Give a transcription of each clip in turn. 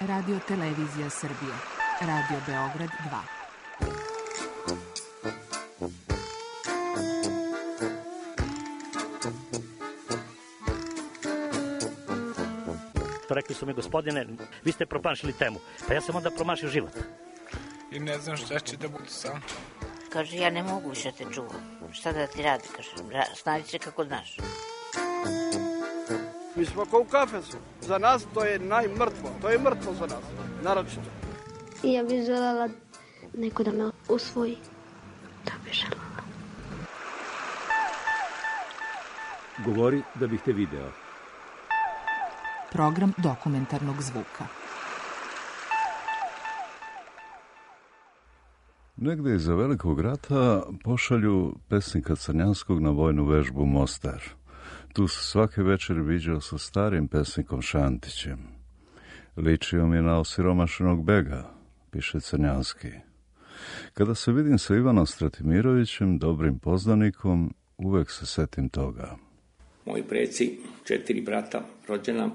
Radio Televizija Srbije. Radio Beograd 2. Rekli su mi, gospodine, vi ste promašili temu. Pa ja sam onda promašio život. I ne znam šta će da bude sam. Kaže, ja ne mogu više te čuvam. Šta da ti radi? Kaže, snađi se kako znaš. Mi smo kao u kafesu. Za nas to je najmrtvo. To je mrtvo za nas. Naročito. I ja bih želela neko da me usvoji. Da bih želela. Govori da bih te video. Program dokumentarnog zvuka. Negde iza Velikog rata pošalju pesnika Crnjanskog na vojnu vežbu u Mostar. Tu se svake večer viđao sa starim pesnikom Šantićem. Ličio mi je na osiromašenog bega, piše Crnjanski. Kada se vidim sa Ivanom Stratimirovićem, dobrim poznanikom, uvek se setim toga. Moji preci, 4 brata rođena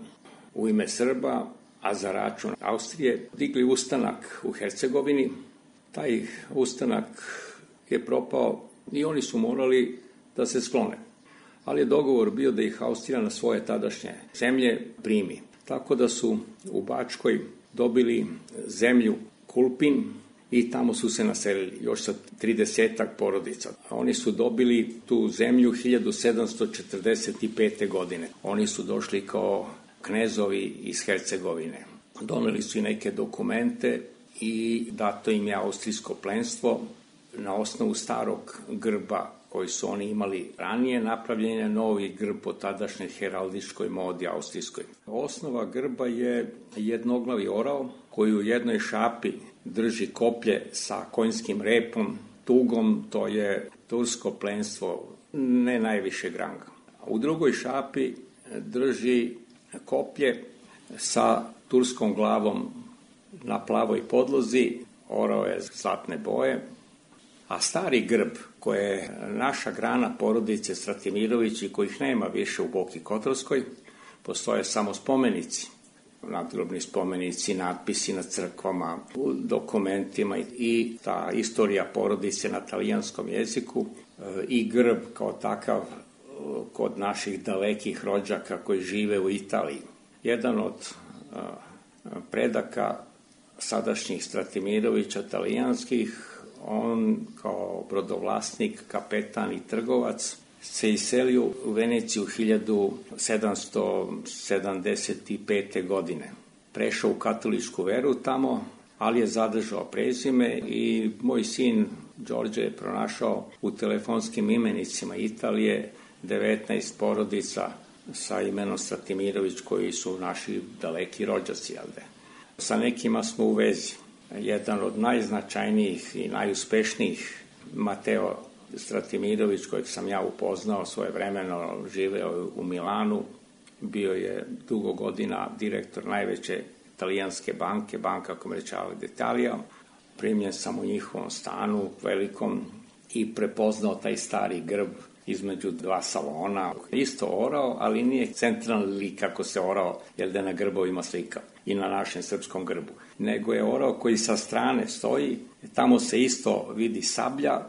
u ime Srba, a za račun Austrije, digli ustanak u Hercegovini. Taj ustanak je propao i oni su morali da se sklone. Ali je dogovor bio da ih Austrija na svoje tadašnje zemlje primi. Tako da su u Bačkoj dobili zemlju Kulpin i tamo su se naselili još sa 30 porodica. Oni su dobili tu zemlju 1745. godine. Oni su došli kao knezovi iz Hercegovine. Doneli su i neke dokumente i dato im je austrijsko plenstvo. Na osnovu starog grba koji su oni imali ranije, napravljen je novi grb po tadašnjoj heraldičkoj modi austrijskoj. Osnova grba je jednoglavi orao koji u jednoj šapi drži koplje sa konjskim repom, tugom, to je tursko plenstvo ne najvišeg ranga. U drugoj šapi drži koplje sa turskom glavom na plavoj podlozi, orao je zlatne boje, a stari grb, koje je naša grana porodice Stratimirović i kojih nema više u Boki Kotorskoj, postoje samo spomenici, nadgrobni spomenici, natpisi na crkvama, u dokumentima i ta istorija porodice na talijanskom jeziku i grb kao takav kod naših dalekih rođaka koji žive u Italiji. Jedan od predaka sadašnjih Stratimirovića talijanskih, on kao brodovlasnik, kapetan i trgovac se iselio u Veneciju 1775. godine. Prešao u katoličku veru tamo, ali je zadržao prezime i moj sin Đorđe je pronašao u telefonskim imenicima Italije 19 porodica sa imenom Stratimirović koji su naši daleki rođaci. Sa nekima smo u vezi. Jedan od najznačajnijih i najuspešnijih, Mateo Stratimirović, kojeg sam ja upoznao svojevremeno, živeo u Milanu, bio je dugo godina direktor najveće italijanske banke, Banca Commerciale d'Italia. Primljen sam u njihovom stanu velikom i prepoznao taj stari grb između 2 salona. Isto orao, ali nije centralni lik kako se orao, jer da na grbovima slika i na našem srpskom grbu. Nego je orao koji sa strane stoji, tamo se isto vidi sablja,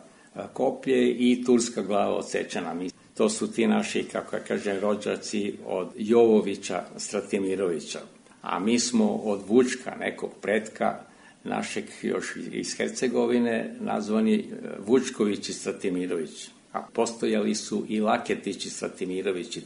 koplje i turska glava odsečena. To su ti naši, kako ja kažem, rođaci od Jovovića Stratimirovića. A mi smo od Vučka, nekog pretka našeg još iz Hercegovine, nazvani Vučkovići Stratimirović. A postojali su i Laketići Stratimirovići.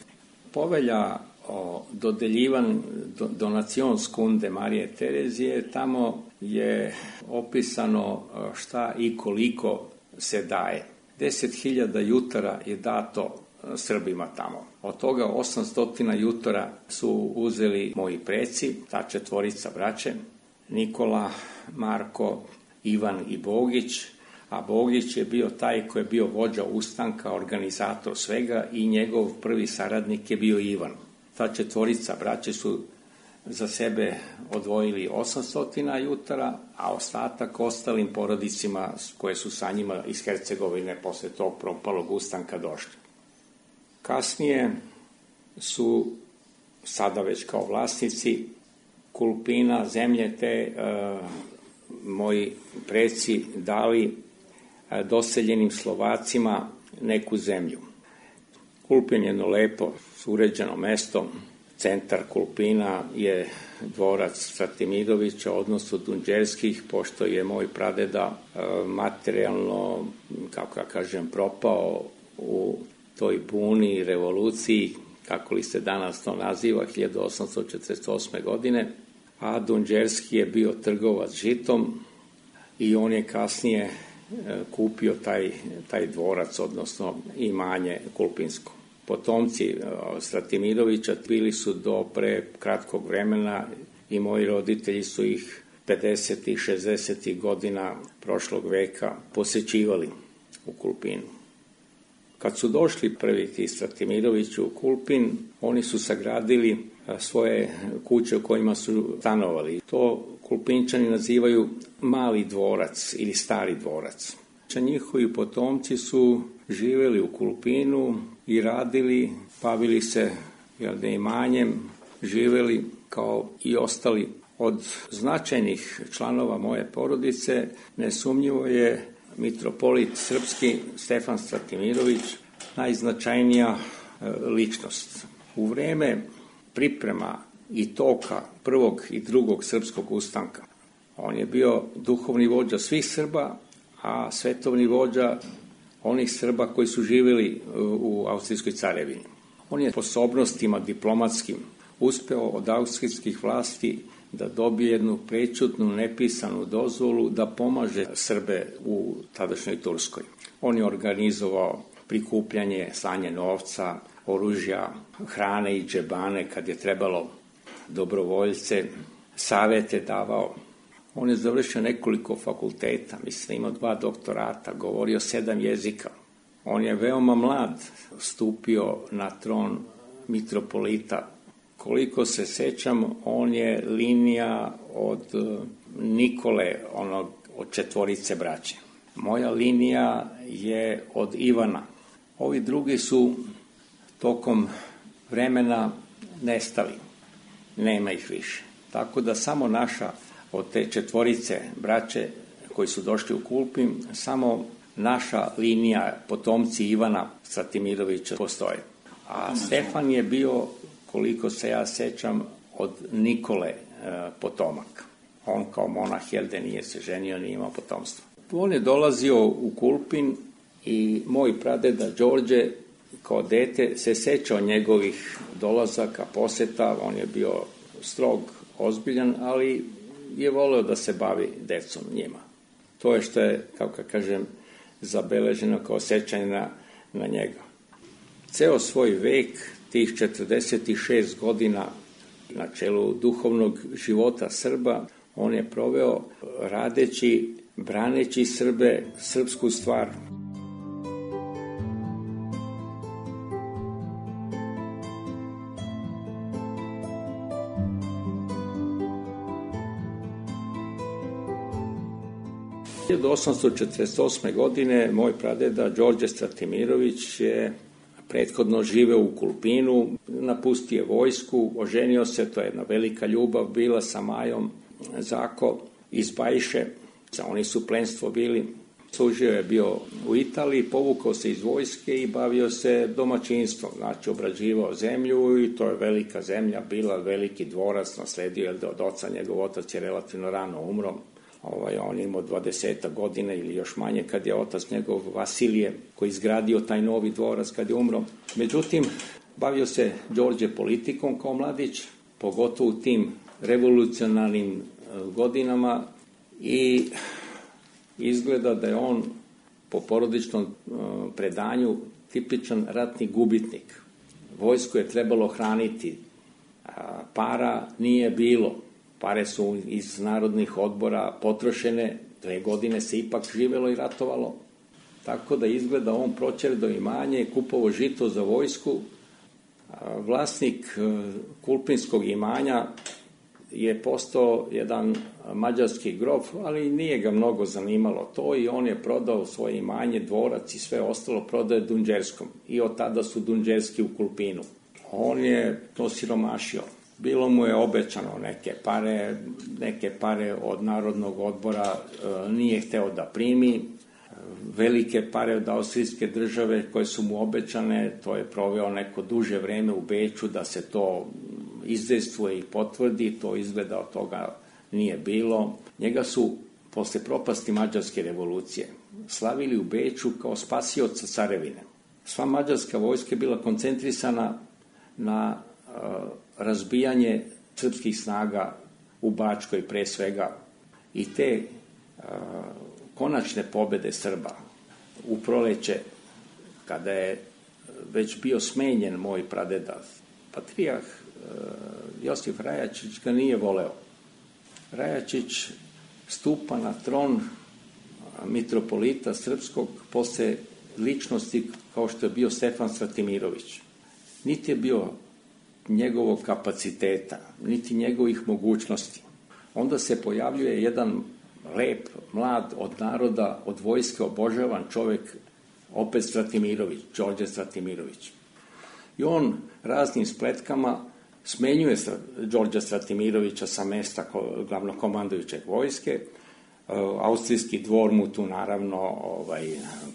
Povelja o dodeljivanju donacionskunde Marije Terezije, tamo je opisano šta i koliko se daje. 10.000 jutara je dato Srbima tamo. Od toga 800 jutara su uzeli moji preci, ta 4 braće, Nikola, Marko, Ivan i Bogić, a Bogić je bio taj koji je bio vođa ustanka, organizator svega i njegov prvi saradnik je bio Ivan. Ta 4 braće su za sebe odvojili 800 jutara, a ostatak ostalim porodicima koje su sa njima iz Hercegovine posle tog propalog ustanka došli. Kasnije su, sada već kao vlasnici, Kulpina, zemlje te moji preci dali doseljenim Slovacima neku zemlju. Kulpin je jedno lepo, uređeno mesto. Centar Kulpina je dvorac Stratimirovića, odnosno Dunđerskih, pošto je moj pradeda materijalno, kako ja kažem, propao u toj buni i revoluciji, kako li se danas to naziva, 1848. godine, a Dunđerski je bio trgovac žitom i on je kasnije kupio taj dvorac, odnosno imanje kulpinsko. Potomci Stratimirovića bili su do pre kratkog vremena i moji roditelji su ih 50. i 60. godina prošlog veka posećivali u Kulpinu. Kad su došli prvi ti Stratimirovići u Kulpin, oni su sagradili svoje kuće u kojima su stanovali. To Kulpinčani nazivaju mali dvorac ili stari dvorac. Njihovi potomci su živjeli u Kulpinu i radili, bavili se imanjem, živjeli kao i ostali. Od značajnih članova moje porodice nesumnjivo je mitropolit srpski Stefan Stratimirović najznačajnija ličnost. U vreme priprema i toka prvog i drugog srpskog ustanka on je bio duhovni vođa svih Srba, a svetovni vođa onih Srba koji su živjeli u Austrijskoj carevini. On je sposobnostima diplomatskim uspeo od austrijskih vlasti da dobije jednu prećutnu, nepisanu dozvolu da pomaže Srbe u tadašnjoj Turskoj. On je organizovao prikupljanje, slanje novca, oružja, hrane i džebane kad je trebalo, dobrovoljce, savete davao. On je završio nekoliko fakulteta, mislim, imao 2 doktorata, govorio 7 jezika. On je veoma mlad stupio na tron mitropolita. Koliko se sećam, on je linija od Nikole, od 4 braće. Moja linija je od Ivana. Ovi drugi su tokom vremena nestali. Nema ih više. Tako da samo naša, od te 4 braće koji su došli u Kulpin, samo naša linija, potomci Ivana Stratimirovića, postoje. A Stefan je bio, koliko se ja sećam, od Nikole potomak. On kao monah nije se ženio, nije imao potomstvo. On je dolazio u Kulpin i moj pradeda Đorđe kao dete se sećao njegovih dolazaka, poseta. On je bio strog, ozbiljan, ali je voleo da se bavi decom njima. To je što je, kako kažem, zabeleženo kao sećanje na njega. Ceo svoj vek, tih 46 godina na čelu duhovnog života Srba, on je proveo radeći, braneći Srbe, srpsku stvar. Od 1848. godine moj pradeda Đorđe Stratimirović je prethodno živeo u Kulpinu, napustio je vojsku, oženio se, to je jedna velika ljubav bila sa Majom Zako iz Bajše, oni su plenstvo bili. Služio je bio u Italiji, povukao se iz vojske i bavio se domaćinstvom, znači obrađivao zemlju i to je velika zemlja, bila veliki dvorac, nasledio je od oca, njegov otac je relativno rano umro. On je imao 20 godina ili još manje kad je otac njegov Vasilije koji izgradio taj novi dvorac kad je umro. Međutim, bavio se Đorđe politikom kao mladić, pogotovo u tim revolucionarnim godinama i izgleda da je on po porodičnom predanju tipičan ratni gubitnik. Vojsku je trebalo hraniti, para nije bilo. Pare su iz narodnih odbora potrošene, 2 godine se ipak živelo i ratovalo. Tako da izgleda on proćerdao imanje, kupovao žito za vojsku. Vlasnik kulpinskog imanja je postao jedan mađarski grof, ali nije ga mnogo zanimalo to i on je prodao svoje imanje, dvorac i sve ostalo, prodao je Dunđerskom. I od tada su Dunđerski u Kulpinu. On je to siromašio. Bilo mu je obećano neke pare od Narodnog odbora, nije hteo da primi. Velike pare od austrijske države koje su mu obećane, to je proveo neko duže vreme u Beču da se to izdejstvuje i potvrdi, to izgleda od toga nije bilo. Njega su, posle propasti Mađarske revolucije, slavili u Beču kao spasioca carevine. Sva mađarska vojska je bila koncentrisana na razbijanje srpskih snaga u Bačkoj pre svega i te konačne pobede Srba u proleće, kada je već bio smenjen moj pradeda, patrijarh Josif Rajačić ga nije voleo. Rajačić stupa na tron mitropolita srpskog posle ličnosti kao što je bio Stefan Stratimirović. Niti je bio njegovog kapaciteta, niti njegovih mogućnosti. Onda se pojavljuje jedan lep, mlad, od naroda, od vojske obožavan čovek, opet Stratimirović, Đorđe Stratimirović. I on raznim spletkama smenjuje Đorđa Stratimirovića sa mesta glavnokomandujućeg vojske. Austrijski dvor mu tu naravno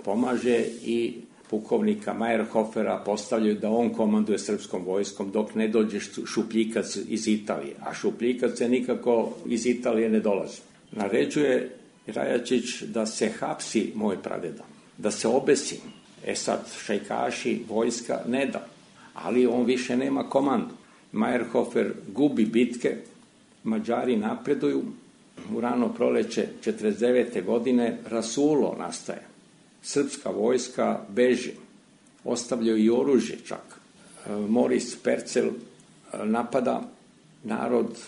pomaže i pukovnika Majerhofera postavljaju da on komanduje srpskom vojskom dok ne dođe Šupljikac iz Italije. A Šupljikac je nikako iz Italije ne dolazi. Naređuje Rajačić da se hapsi moj pradeda, da se obesi. Sad šajkaši, vojska ne da, ali on više nema komandu. Majerhofer gubi bitke, Mađari napreduju, u rano proleće 49. godine rasulo nastaje. Srpska vojska beži, ostavljaju i oružje čak. Moris Percel napada, narod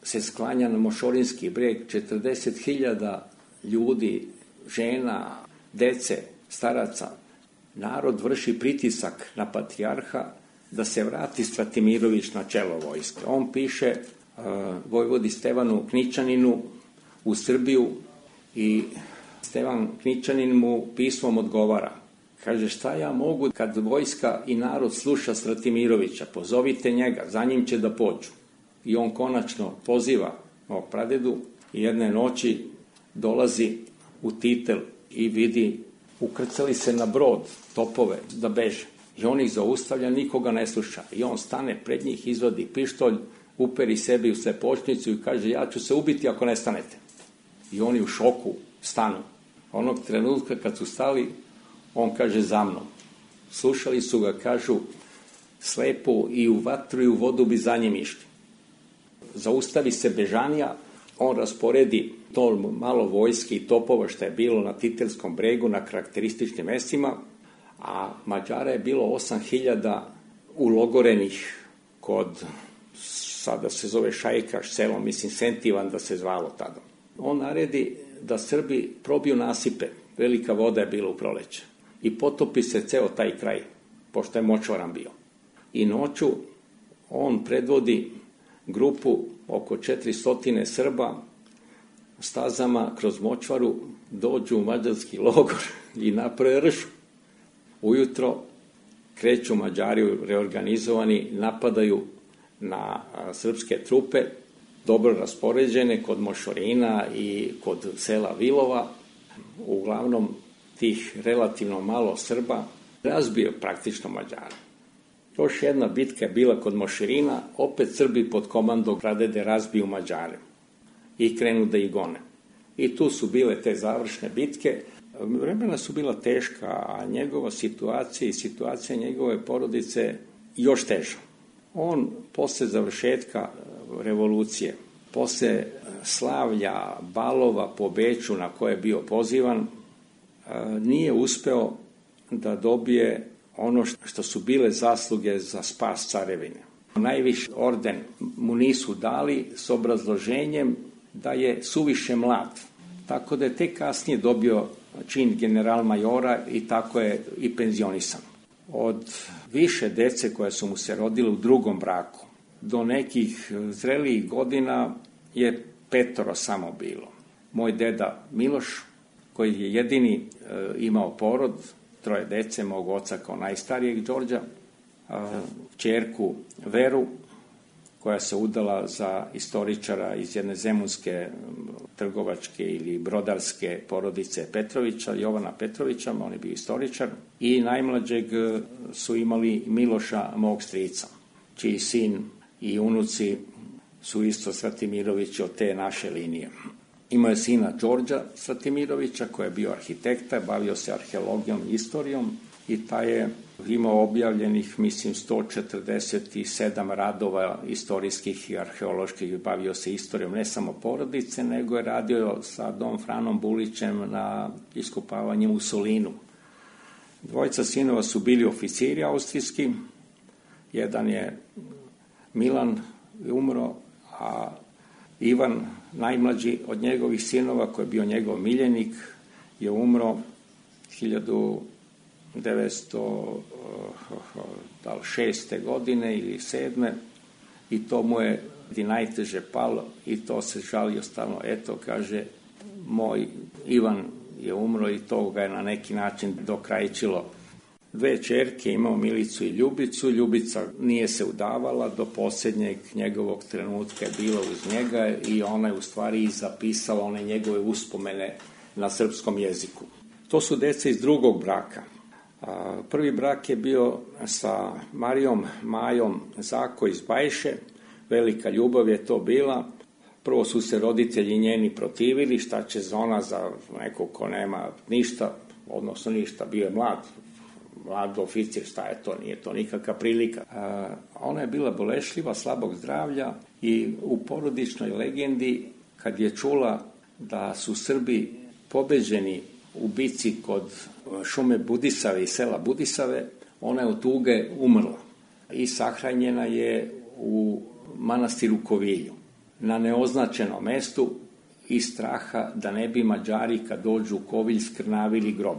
se sklanja na Mošorinski breg, 40.000 ljudi, žena, dece, staraca. Narod vrši pritisak na patrijarha da se vrati Stratimirović na čelo vojske. On piše vojvodi Stevanu Knićaninu u Srbiju i Stevan Knićanin mu pismom odgovara. Kaže, šta ja mogu kad vojska i narod sluša Stratimirovića, pozovite njega, za njim će da pođu. I on konačno poziva mog pradedu i jedne noći dolazi u Titel i vidi, ukrcali se na brod topove da beže. I on ih zaustavlja, nikoga ne sluša. I on stane pred njih, izvadi pištolj, uperi sebi u slepočnicu i kaže, ja ću se ubiti ako ne stanete. I oni u šoku stanu. Onog trenutka kad su stali, on kaže za mnom. Slušali su ga, kažu, slepo i u vatru i u vodu bi za njim išli. Zaustavi se bežanija, on rasporedi to malo vojske i topova što je bilo na Titelskom bregu na karakterističnim mestima, a Mađara je bilo 8.000 ulogorenih kod, sada se zove Šajkaš selo, mislim Sentivan da se zvalo tada. On naredi da Srbi probiju nasipe, velika voda je bila u proleće, i potopi se ceo taj kraj, pošto je močvaran bio. I noću on predvodi grupu oko 400 Srba stazama kroz močvaru, dođu u mađarski logor i naprave ršu. Ujutro kreću Mađari reorganizovani, napadaju na srpske trupe, dobro raspoređene kod Mošorina i kod sela Vilova. Uglavnom tih relativno malo Srba razbio praktično Mađara. Još jedna bitka je bila kod Mošorina, opet Srbi pod komandom pradede razbiju Mađare i krenu da ih gone. I tu su bile te završne bitke. Vremena su bila teška, a njegova situacija i situacija njegove porodice još teža. On posle završetka revolucije, posle slavlja, balova po Beču na koje je bio pozivan, nije uspeo da dobije ono što su bile zasluge za spas carevine. Najviši orden mu nisu dali s obrazloženjem da je suviše mlad. Tako da je tek kasnije dobio čin general-majora i tako je i penzionisan. Od više dece koje su mu se rodile u drugom braku do nekih zrelijih godina je 5 samo bilo. Moj deda Miloš, koji je jedini imao porod, 3 dece, mog oca kao najstarijeg Đorđa, ćerku Veru, koja koja se udala za istoričara iz jedne zemunske trgovačke ili brodarske porodice Petrovića, Jovana Petrovića, on je bio istoričar, i najmlađeg su imali Miloša, mog strica, čiji sin i unuci su isto Stratimirovići od te naše linije. Imao je sina Đorđa Stratimirovića, koji je bio arhitekta, bavio se arheologijom i istorijom, i taj je imao objavljenih, mislim, 147 radova istorijskih i arheoloških, bavio se istorijom ne samo porodice, nego je radio sa Dom Franom Bulićem na iskopavanju u Solinu. Dvojica sinova su bili oficiri austrijski, jedan je Milan umro, a Ivan, najmlađi od njegovih sinova, koji je bio njegov miljenik, je umro 1906. godine ili 7. i to mu je najteže palo i to se žalio stalno. Eto, kaže, moj Ivan je umro i to ga je na neki način dokrajčilo. 2 ćerke, imao Milicu i Ljubicu. Ljubica nije se udavala, do posljednjeg njegovog trenutka je bila uz njega i ona je u stvari i zapisala one njegove uspomene na srpskom jeziku. To su deca iz drugog braka. Prvi brak je bio sa Marijom Majom Zako iz Bajše. Velika ljubav je to bila. Prvo su se roditelji njeni protivili, šta će ona za nekog ko nema ništa, odnosno ništa, bio je mlad oficir, šta je to, nije to nikakva prilika. Ona je bila bolešljiva, slabog zdravlja i u porodičnoj legendi, kad je čula da su Srbi pobeđeni u bici kod šume Budisave i sela Budisave, ona je od tuge umrla i sahranjena je u manastiru Kovilju, na neoznačenom mestu, iz straha da ne bi Mađari kad dođu u Kovilj skrnavili grob.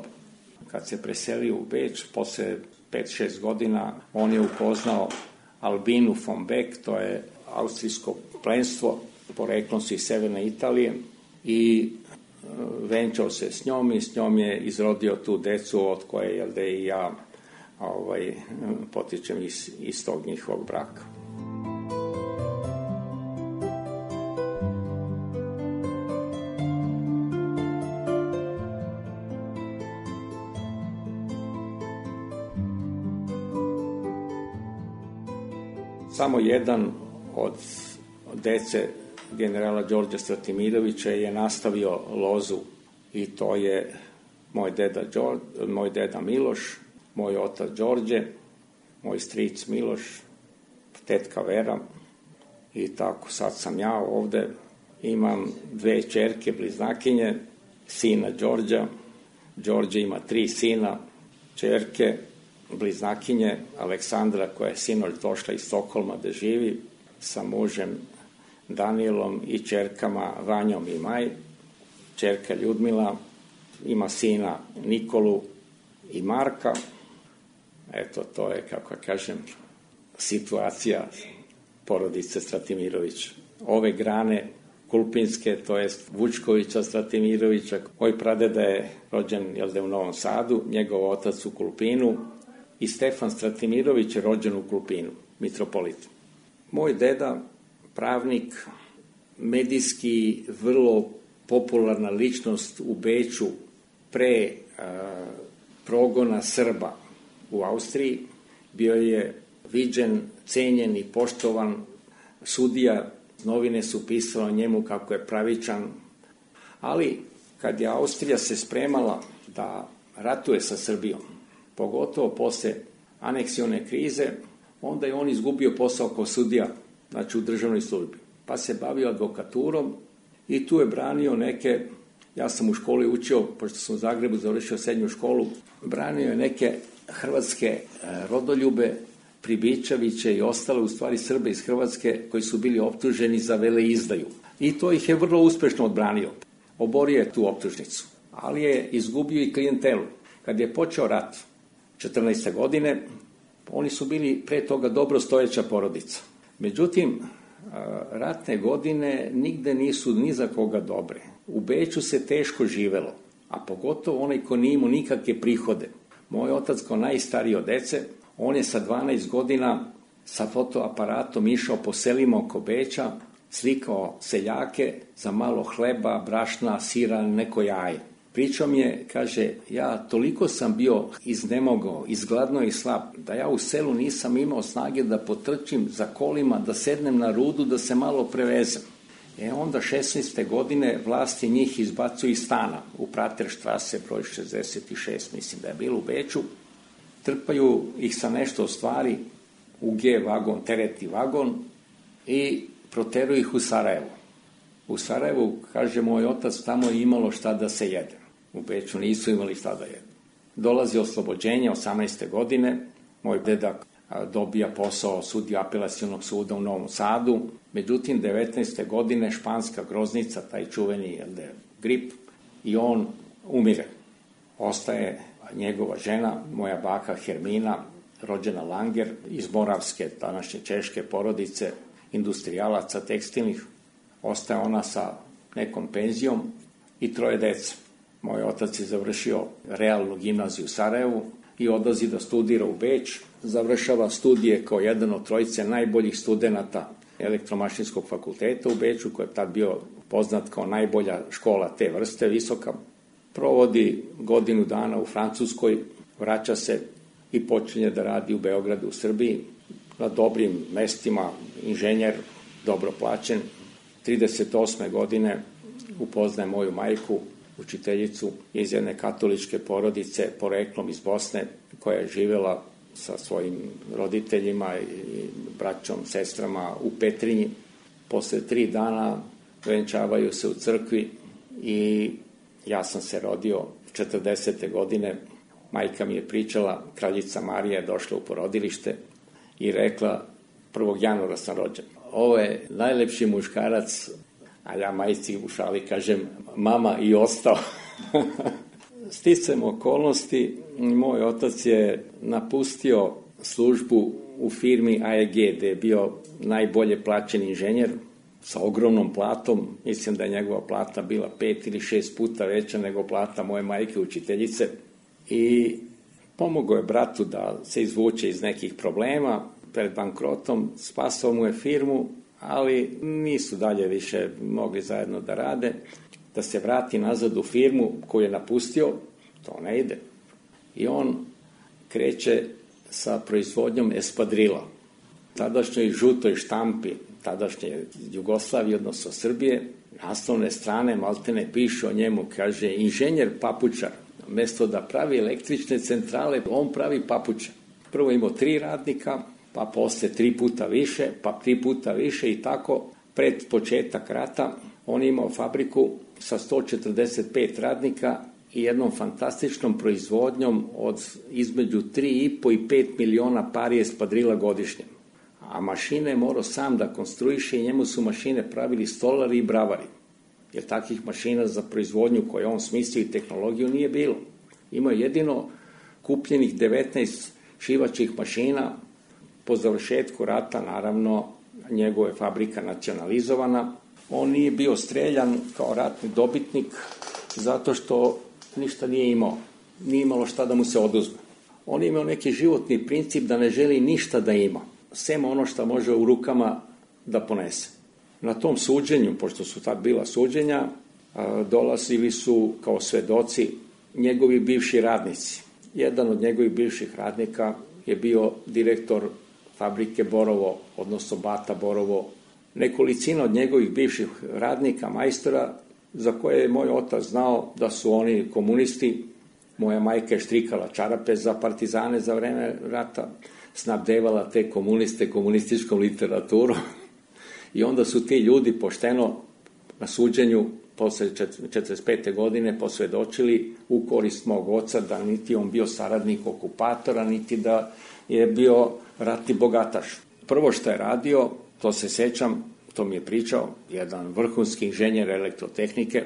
Kad se preselio u Beč, posle 5-6 godina, on je upoznao Albinu von Beck, to je austrijsko plemstvo, poreklom su iz severne Italije, i venčao se s njom i s njom je izrodio tu decu od koje, jel da i ja potičem iz tog njihovog braka. Samo jedan od dece generala Đorđa Stratimirovića je nastavio lozu i to je moj deda Miloš, moj otac Đorđe, moj stric Miloš, tetka Vera i tako. Sad sam ja ovde, imam 2 ćerke bliznakinje, sina Đorđa, Đorđe ima 3 sina, ćerke, bliznakinje, Aleksandra koja je sinoć došla iz Stokholma da živi sa mužem Danielom i ćerkama Vanjom i Maj. Ćerka Ljudmila ima sina Nikolu i Marka. Eto, to je, kako kažem, situacija porodice Stratimirović. Ove grane Kulpinske, to jest Vučkovića Stratimirovića, moj pradeda je rođen u Novom Sadu, njegov otac u Kulpinu, i Stefan Stratimirović je rođen u Kulpinu, mitropolit. Moj deda, pravnik, medijski vrlo popularna ličnost u Beču pre progona Srba u Austriji, bio je viđen, cenjen i poštovan sudija, novine su pisale o njemu kako je pravičan, ali kad je Austrija se spremala da ratuje sa Srbijom, pogotovo posle aneksione krize, onda je on izgubio posao kao sudija, znači u državnoj službi, pa se bavio advokaturom i tu je branio neke, ja sam u školi učio, pošto sam u Zagrebu završio srednju školu, branio je neke hrvatske rodoljube, Pribičeviće i ostale, u stvari Srbe iz Hrvatske, koji su bili optuženi za veleizdaju. I to ih je vrlo uspešno odbranio. Oborio je tu optužnicu, ali je izgubio i klijentelu. Kad je počeo rat 14. godine, oni su bili pre toga dobro stojeća porodica. Međutim, ratne godine nigde nisu ni za koga dobre. U Beču se teško živelo, a pogotovo onaj ko nije imao nikakve prihode. Moj otac kao najstariji od dece, on je sa 12 godina sa fotoaparatom išao po selima oko Beča, slikao seljake za malo hleba, brašna, sira, neko jaje. Pričao mi je, kaže, ja toliko sam bio iznemogao, izgladno i slab, da ja u selu nisam imao snage da potrčim za kolima, da sednem na rudu, da se malo prevezem. Onda 16. godine vlasti njih izbacuju iz stana u Praterštrase, broj 66, mislim da je bilo u Beču. Trpaju ih sa nešto stvari u G vagon, tereti vagon i proteruju ih u Sarajevo. U Sarajevu, kaže moj otac, tamo je imalo šta da se jede. U Beču nisu imali šta da jedu. Dolazi oslobođenje 18. godine, moj dedak dobija posao sudija apelacionog suda u Novom Sadu. Međutim, 19. godine španska groznica, taj čuveni grip, i on umire. Ostaje njegova žena, moja baka Hermina, rođena Langer, iz moravske, današnje češke porodice, industrijalaca tekstilnih. Ostaje ona sa nekom penzijom i 3 dece. Moj otac je završio realnu gimnaziju u Sarajevu i odlazi da studira u Beč. Završava studije kao jedan od 3 najboljih studenata elektromašinskog fakulteta u Beču, koji je tad bio poznat kao najbolja škola te vrste, visoka. Provodi godinu dana u Francuskoj, vraća se i počinje da radi u Beogradu, u Srbiji, na dobrim mestima, inženjer, dobro plaćen. 38. godine upoznaje moju majku, učiteljicu iz jedne katoličke porodice, poreklom iz Bosne, koja je živela sa svojim roditeljima i braćom, sestrama u Petrinji. Posle 3 dana venčavaju se u crkvi i ja sam se rodio 40. godine. Majka mi je pričala, kraljica Marija je došla u porodilište i rekla, 1. januara sam rođen. Ovo je najlepši muškarac, a ja majci u šali kažem, mama i ostao. Sticajem okolnosti, moj otac je napustio službu u firmi AEG, gde je bio najbolje plaćen inženjer sa ogromnom platom. Mislim da je njegova plata bila 5 ili 6 puta veća nego plata moje majke učiteljice. I pomogao je bratu da se izvuče iz nekih problema. Pred bankrotom spasao mu je firmu, ali nisu dalje više mogli zajedno da rade. Da se vrati nazad u firmu koju je napustio, to ne ide. I on kreće sa proizvodnjom espadrila. Tadašnjoj žutoj štampi, tadašnje Jugoslavije, odnosno Srbije, naslovne strane maltene pišu o njemu, kaže, inženjer papučar. Mesto da pravi električne centrale, on pravi papuče. Prvo imao 3 radnika, pa posle 3 puta više, pa 3 puta više i tako. Pred početak rata on imao fabriku sa 145 radnika i jednom fantastičnom proizvodnjom od između 3,5 i 5 miliona pari espadrila godišnje. A mašine je morao sam da konstruiše i njemu su mašine pravili stolari i bravari. Jer takvih mašina za proizvodnju koje on smislio i tehnologiju nije bilo. Imao jedino kupljenih 19 šivačih mašina. Po završetku rata, naravno, njegova je fabrika nacionalizovana. On nije bio streljan kao ratni dobitnik zato što ništa nije imao. Nije imalo šta da mu se oduzme. On je imao neki životni princip da ne želi ništa da ima, sem ono što može u rukama da ponese. Na tom suđenju, pošto su tad bila suđenja, dolazili su kao svedoci njegovi bivši radnici. Jedan od njegovih bivših radnika je bio direktor fabrike Borovo, odnosno Bata Borovo. Nekolicina od njegovih bivših radnika, majstora, za koje je moj otac znao da su oni komunisti. Moja majka je štrikala čarape za partizane za vreme rata, snabdevala te komuniste komunističkom literaturom. I onda su ti ljudi pošteno na suđenju posle 45. godine posvedočili u korist mog oca da niti on bio saradnik okupatora, niti da je bio ratni bogataš. Prvo što je radio, to se sećam, to mi je pričao, jedan vrhunski inženjer elektrotehnike,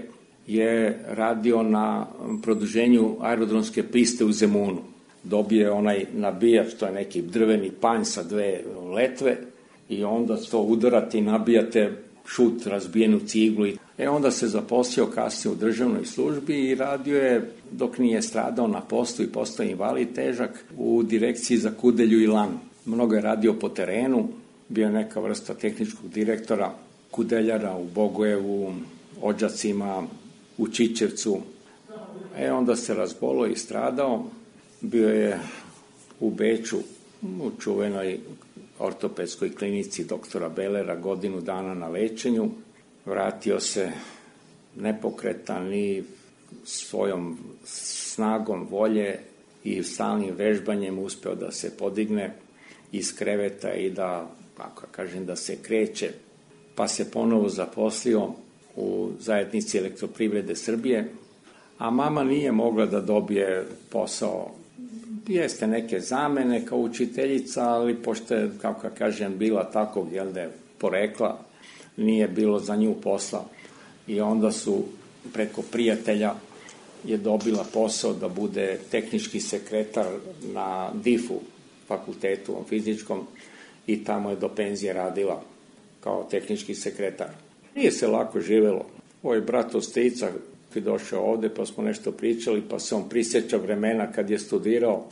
je radio na produženju aerodromske piste u Zemunu. Dobije onaj nabijač, to je neki drveni panj sa 2 letve, i onda to udarate i nabijate šut, razbijenu ciglu. Onda se zaposlio kasnije u državnoj službi i radio je, dok nije stradao na poslu i postao invalid težak, u direkciji za kudelju i lanu. Mnogo je radio po terenu, bio je neka vrsta tehničkog direktora, kudeljara u Bogojevu, Odžacima, u Čičevcu. Onda se razbolio i stradao. Bio je u Beču, u čuvenoj ortopedskoj klinici doktora Belera, godinu dana na lečenju. Vratio se nepokretan i svojom snagom volje i stalnim vežbanjem uspeo da se podigne iz kreveta i da, kako kažem, da se kreće. Pa se ponovo zaposlio u zajednici Elektroprivrede Srbije, a mama nije mogla da dobije posao. Jeste neke zamene kao učiteljica, ali pošto je, kako kažem, bila takvog, porekla, nije bilo za nju posla. I onda su preko prijatelja je dobila posao da bude tehnički sekretar na DIF-u, fakultetu fizičkom, i tamo je do penzije radila kao tehnički sekretar. Nije se lako živelo. Ovo je brat od strica koji je došao ovde, pa smo nešto pričali, pa se on prisjeća vremena kad je studirao,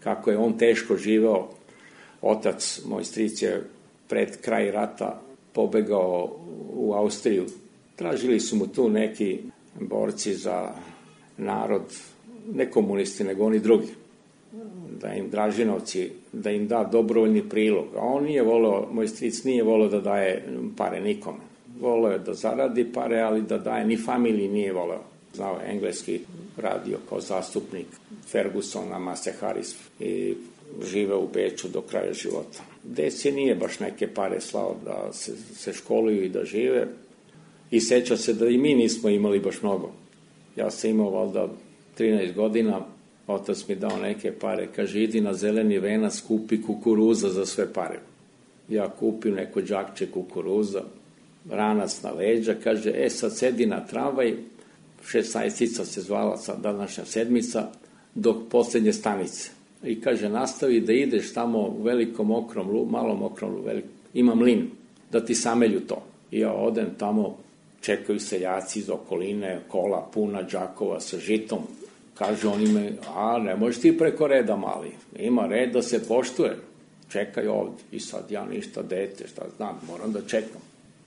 kako je on teško živeo. Otac, moj stric, je pred kraj rata pobegao u Austriju. Tražili su mu tu neki borci za narod, ne komunisti, nego oni drugi, da im Dražinovci, da im da dobrovoljni prilog. A on nije voleo, moj stric nije voleo da daje pare nikome. Voleo je da zaradi pare, ali da daje ni familiji nije voleo. Znao je engleski, radio kao zastupnik Fergusona, Mase Harris, i žive u Beču do kraja života. Deci nije baš neke pare slao da se školuju i da žive, i seća se da i mi nismo imali baš mnogo. Ja sam imao valjda 13 godina, otac mi dao neke pare, kaže, idi na Zeleni venac, kupi kukuruza za sve pare. Ja kupim neko džakče kukuruza, ranac na leđa, kaže, sad sedi na tramvaj, 16 se zvala današnja sedmica, do poslednje stanice. I kaže, nastavi da ideš tamo u velikom okrom, malom okrom, ima mlin, da ti samelju to. I ja odem tamo, čekaju seljaci iz okoline, kola puna džakova sa žitom. Kaže oni me, ne možeš ti preko reda, mali, ima red da se poštuje, čekaj ovde. I sad ja ništa, dete, šta znam, moram da čekam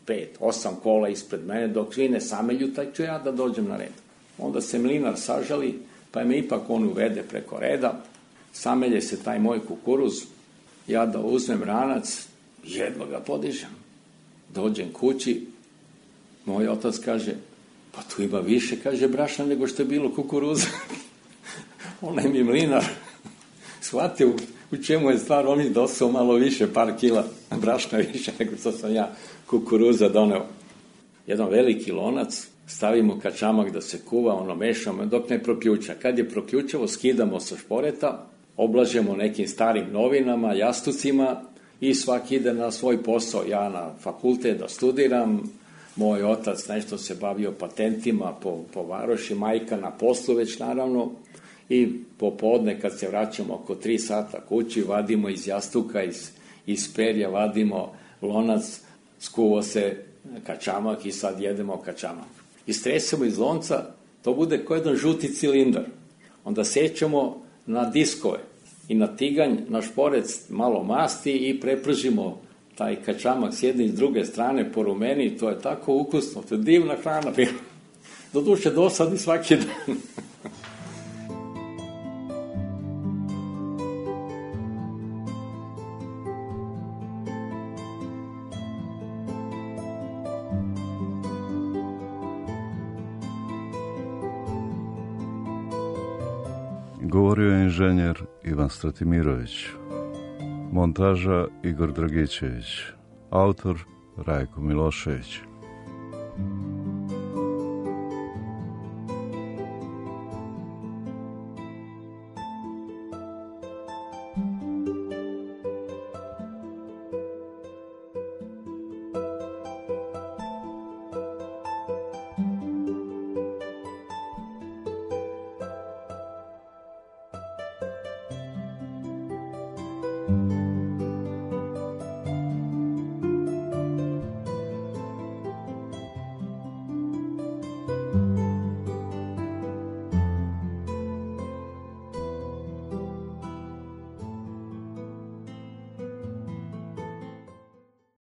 5-8 kola ispred mene, dok svi ne samelju, taj ću ja da dođem na red. Onda se mlinar sažali, pa me ipak on uvede preko reda, samelje se taj moj kukuruz, ja da uzmem ranac, jedva ga podižem. Dođem kući, moj otac kaže, pa tu ima više, kaže, brašna nego što je bilo kukuruza. Onaj mi mlinar shvatio u čemu je stvar, on mi dosao malo više, par kila brašna više nego što sam ja kukuruza doneo. Jedan veliki lonac, stavimo kačamak da se kuva, mešamo dok ne proključa. Kad je proključavo, skidamo sa šporeta, oblažemo nekim starim novinama, jastucima i svaki ide na svoj posao. Ja na fakultet da studiram, moj otac nešto se bavio patentima po varoši, majka na poslu već naravno, i popodne kad se vraćamo oko 3 sata kući, vadimo iz jastuka, iz perja, vadimo lonac, skuvo se kačamak i sad jedemo kačamak. Istresemo iz lonca, to bude kao jedan žuti cilindar. Onda sećamo na diskove i na tiganj, na šporec malo masti i prepržimo taj kačamak s jedne i s druge strane po rumeni, to je tako ukusno, to je divna hrana bila. Doduše dosadi svaki dan. Govorio je inženjer Ivan Stratimirović, montaža Igor Dragičević, autor Rajko Milošević.